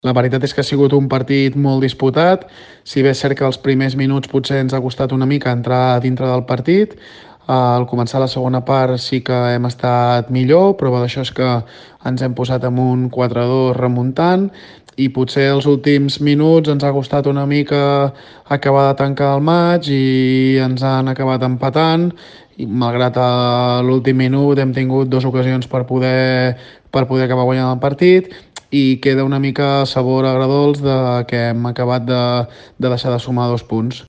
La veritat és que ha sigut un partit molt disputat, si bé és cert que els primers minuts potser ens ha costat una mica entrar dintre del partit. Al començar la segona part sí que hem estat millor, prova d'això és que ens hem posat amb un 4-2 remuntant i potser els últims minuts ens ha costat una mica acabar de tancar el maig i ens han acabat empatant i malgrat a l'últim minut hem tingut dues ocasions per poder acabar guanyant el partit i queda una mica sabor agredolç de que hem acabat de deixar de sumar 2 punts.